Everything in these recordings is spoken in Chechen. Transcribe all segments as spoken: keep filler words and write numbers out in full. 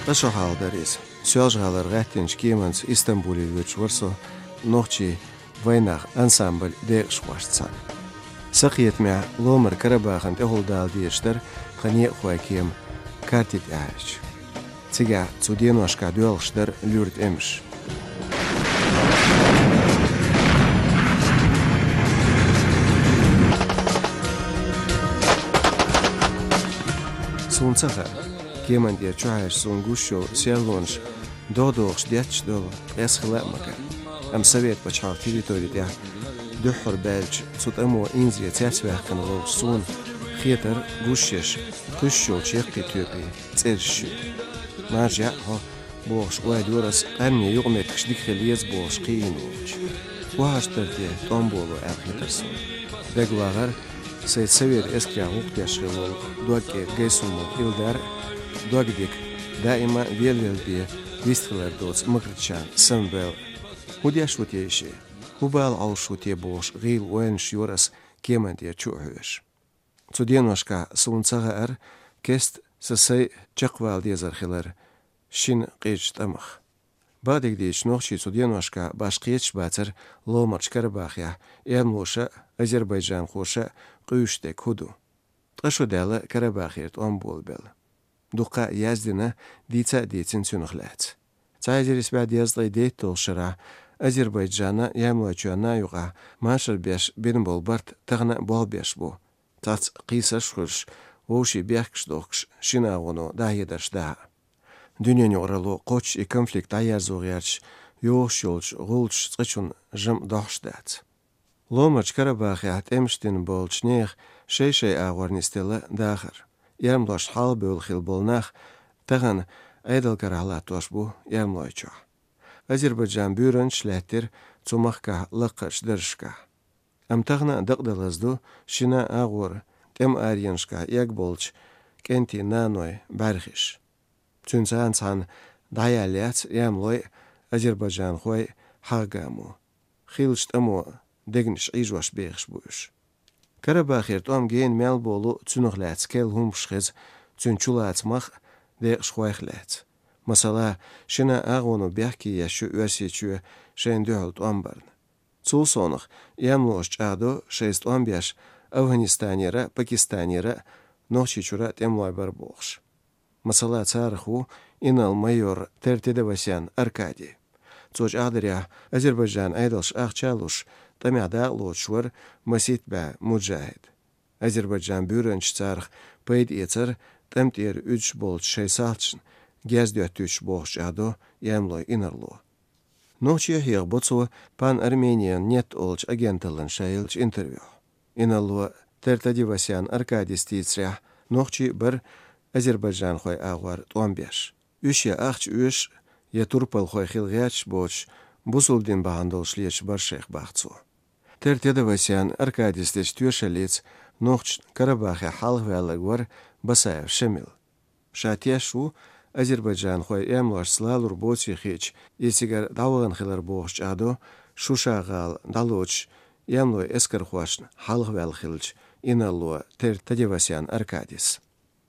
Ткъа шо хьалха дара иза. Соьлжа-ГӀалара гӀаьттинчу кеманца Истамбуле воьдуш вара со нохчийн вайнах ансамбль декъашхошца цхьаьна. Сан кхетамехь, Ломара Карабахана тӀехула дала дезаш дара тхан некъахойн кема карти тӀехь аьлча. Цигахь цу деношкахь доьлхуш дара луьра тӀемаш. Суна ца хаьа, кеман тӀера чухьаьжча суна гуш йолу серлонаш догӀа-догӀуш детташ долу къаьсттина хила а ма гара. Амма Совет пачхьалкхан территори тӀехь дуьххьара баьллачу цу тӀамо инзаре цецваьккхина волчу суна хетара гуш еш, кхуьссуш йолчу яккхий тоьпийн цӀераш шуьйра. Маржа яӀ хьо, бохуш ойла йора ас, къаьмнийн юкъаметтигаш дика хила еза бохуш кхиийна волчу. Охьа аш дара те тӀом боло аьлла хетара суна. ДагавахархӀара, сайца совет эскарехь гӀуллакх деш хилла волу дог кӀеда Гайсумов Илдар а, дог дика, даима велавелла бен вистхилар доцу Макритчан Самвел а. ХӀун деш ву те и шиъ? ХӀун бала Ӏовшуш ву те бохуш гӀийла ойланаш йора ас кеман тӀера чу а хьоьжуш. Цу деношкахь суна ца хаьара кеста сан сай чекхвала дезар хилар шина къизачу тӀамах. Бакъдерг дийцича, нохчий цу деношкахь башха кхеташ бацара Ломарчу Карабахехь эрмалоша а, азербайджанхоша а къуьйсуш дерг хӀун ду. Ткъа шо даьлла Карабахера тӀом болабелла. Дуккха а яздина, дийца а дийцина цуьнах лаьцна. Цхьа эзар исс бӀе дезткъе дейтталгӀачу шарахь Азербайджанан а, Ямалойчоьнан а юкъахь машар беш бина болу барт тахана а болх беш бу. Цхьацца кхийсарш а хуьлуш, вовшийн бехкаш дохкуш, шина агӀоно дӀахьедарш дахьа. Дуьненан юкъаралло кхоччуш и конфликт дӀаерзо гӀерташ йогӀуш йолчу гӀулчаш цкъачунна жамӀ дохьуш дац. Ломарчу Карабахехь тӀемаш дина болчу нехан шай-шайн агӀор нисделла дахар. Эрмалошна хьалхабевлла хилла болу нах тахана Ӏедал карахь латтош бу Эрмалойчохь. Азербайджан буьйранчаш лаьттира цу махкахь лакхарчу даржашкахь. Амма тахана а дакъа далаза ду шина агӀора тӀеман аренашкахь эгна болчу кӀентийн наной бӀаьрхиш. Цуьнца цхьаьна дӀаяьлла яц эрмалой а, азербайджанхой а хьагӀ-гамо. Хиллачу тӀамо дегнаш Ӏийжош бехаш бу уьш. Карабахера тӀом гена мел болу цуьнах лаьцна керла хӀуманаш хеза, цуьнан чулацамах а, декъашхойх а лаьцна. Масала, шина агӀоно бехке еш ю Оьрсийчоь шайна дуьхьал тӀом барна. Цул совнаха, эрмалоша чӀагӀдо шайца тӀом беш Афганистанера а, Пакистанера а, Нохчийчуьра а тӀемалой бара бохуш. Масала, царах ву инарла-майор Тертедовасян Аркадий. Цо чӀагӀдарехь, Азербайджанан Ӏедалша ахча а луш, тӀамехь дакъалоцуш вара масийтта бӀе муджахӀид. Азербайджан буьйранчаш царах пайда эцара тӀам тӀера уьдуш болчу шайн салташна герз доьттуьйтуш, бохуш чӀагӀдо эрмалойн инарла. Нохчий хьехабо цо Пан Армениан нет олучу агенталлина ша еллачу интервьюхь. Инарла Тертедовасян Аркадис дийцарехь, нохчий а бара азербайджанхойн агӀор тӀом беш. Уьш я ахча оьшуш, я турпалхой хила гӀерташ боцуш, бусулба дин бахьана долуш леташ бара шайх, боху цо. Тертедовасян Аркадис дечу тоьшаллица нохчашна Карабахехь хьалхаваьлларг вара Басаев Шамил. Ша теш ву азербайджанхой эрмалошца лалур боций хиъча, иза цигара дӀавахана хилар, бохуш чӀагӀдо Шуша-гӀала дӀалоцуш эрмалойн эскархошна хьалхаваьлла хиллачу инарла Тертедовасян Аркадис.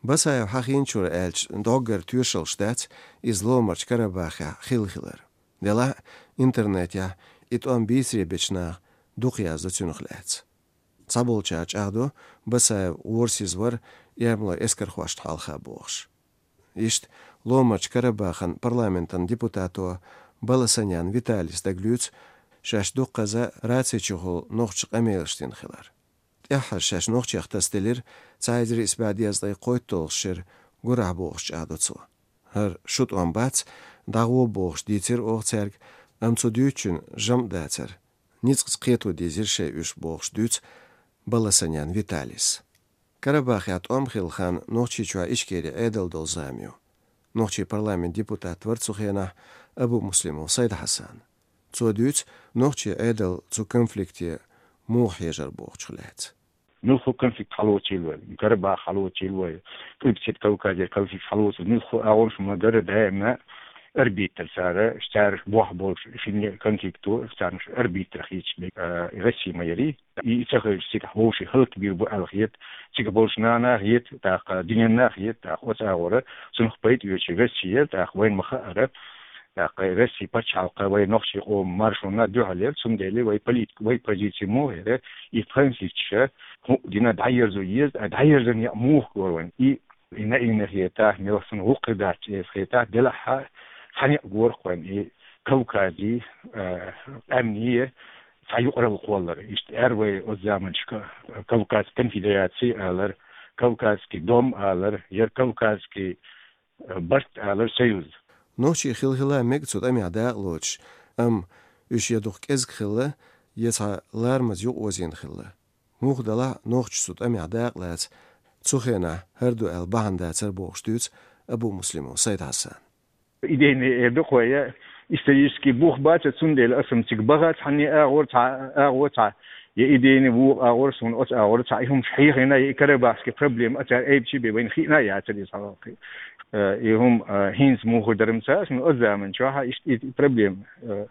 Басаев хьахийначуьра аьлча, доггара тоьшаллаш дац иза Ломарчу Карабахехь хилла хилар. Делахь а интернетехь и тӀом бийцаре бечу наха дукха яздо цуьнах лаьцна. Цхьаболчара чӀагӀдо, Басаев гӀорасиз вара эрмалойн эскархошна хьалха, бохуш. Иштта Ломарчу Карабахан парламентан депутато Баласанян Виталис дагалуьйцу шаьш дуккхаза раци чухула нохчаша къамелаш дина хилар. ТӀаьххьара шаьш нохчех тасаделира цхьа эзар исс бӀе дезткъе кхойтталгӀачу шеран гурахь, бохуш чӀагӀдо цо. ХӀара шун тӀом бац, дӀагӀо бохуш дийцира оха цаьрга, амма цу дуьйцучун жамӀ дацара. Ницкъаца кхето дезира шайн уьш, бохуш дуьйцу Баласанян Виталис. Карабахехь тӀом хилла хан Нохчийчохь Ичкерин Ӏедал долу зама ю. Нохчийн парламентан депутат вара цу хенахь Абумуслимов Сайд-Хьасан. Цо дуьйцу нохчийн Ӏедал цу конфликте муха хьежар бохучух лаьцна. Муьлхха конфликт хьалоцийла вай, Карабах хьалоцийла вай, Къилбаседа Кавказера конфликт хьалоцийла, муьлхха агӀонаш ма-дарра даимна арбитр цара, цаьраш бохь болчу шинне конфликто, царнаш арбитр хийцаш бе, а, Россия ма яри. И ца хилча, цигахь вовшийн хӀаллакбийр бу аьлла хета, цига болчу нана хета, тӀаккха дуьненна хета, тӀаккха оцу агӀора, цунах пайда оьцуш Россия, тӀаккха вайна ма хаара, тӀаккха Россия пачхьалкх вай нохчийн къоман маршонна дуьхьал яра, цундела вай политика, вай позиция муха яра, и конфликташ хӀуъа дина дӀаерзо еза, а дӀаерзина яа муха гора вайна. И И наивно хетахь, мелхсана гӀуллакх дац эса хетахь, делахь а, цхьаьна а гора-кх вайна и Кавказе, а, къаьмнийн цхьа юкъаралла кхоллар. Иштта аьлла вай оцу заманчохь Кавказ конфедераци алар, Кавказский дом алар, я Кавказский, а, барт алар, союз. Нохчий хила-хила мега цу тӀамехь дакъа лоцуш, амма уьш я дукха кӀезиг хилла, я цхьа ларамаза юкъаозийна хилла. Муха делахь а нохчаша цу тӀамехь дакъа лаца цу хенахь хӀара ду аьлла бахьана дацара бохуш дуьйцу Абумуслимов Сайд-Хьасана. Идейный эр ду-кх вай, я исторический бух бац, цундела аса-м цига баха цхьанне агӀор цхьа, агӀо цхьа, я идейный вукху агӀор, суна оцу агӀор цхьа и хӀумаш хьехийна, я и карабахский проблема а цара айбича бен вайна хиъна а яцара иза хьалхе. Э, и хӀума, э, хӀинца муха дара-м ца, суна оцу заманчохь а иштта и проблема, э,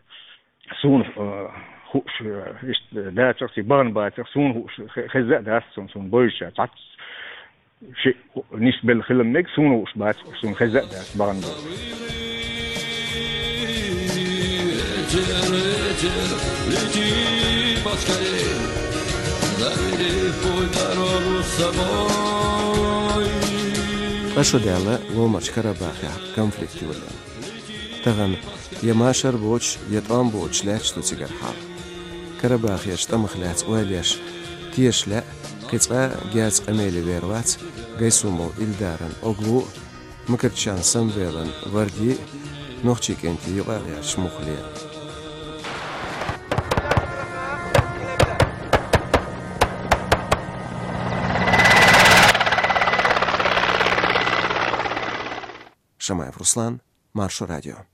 Суна, э, хууш, э, иштта дацара-кх, бахана бацара-кх, суна хууш хе-, хезна а дац суна, суна бовзуш цхьацца шиъ нисбелла хила мега, суна хууш бац, суна хезна а дац бахана бацара. Ткъа шо даьлла Ломарчу Карабахехь конфликт йолийна. Тахана я машар боцуш, я тӀом боцуш лаьтташ ду цигара хьал. Карабахерчу тӀамах лаьцна ойла еш, тешаш лаьа, кхин цкъа а герзан къамеле вер вац Гайсумов Илдаран Оглу а, Макарчан Самвелан Варди а, нохчийн кӀентий юкъа а гӀерташ муххале а. Шамаев Руслан, Маршо радио.